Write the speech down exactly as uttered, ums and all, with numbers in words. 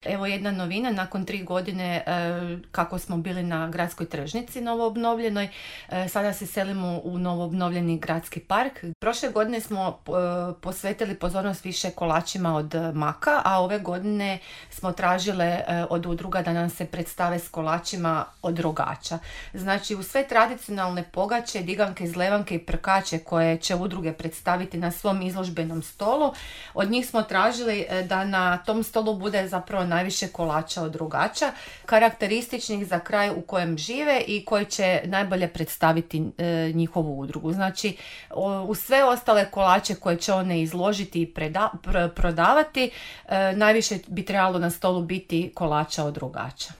Evo jedna novina, nakon tri godine e, kako smo bili na gradskoj tržnici novoobnovljenoj, e, sada se selimo u novoobnovljeni gradski park. Prošle godine smo e, posvetili pozornost više kolačima od maka, a ove godine smo tražile e, od udruga da nam se predstave s kolačima od rogača. Znači u sve tradicionalne pogače, diganke, zlevanke i prkače koje će udruge predstaviti na svom izložbenom stolu, od njih smo tražili e, da na tom stolu bude zapravo najviše kolača od rogača, karakterističnih za kraj u kojem žive i koji će najbolje predstaviti e, njihovu udrugu. Znači, o, u sve ostale kolače koje će one izložiti i preda, pr, prodavati, e, najviše bi trebalo na stolu biti kolača od rogača.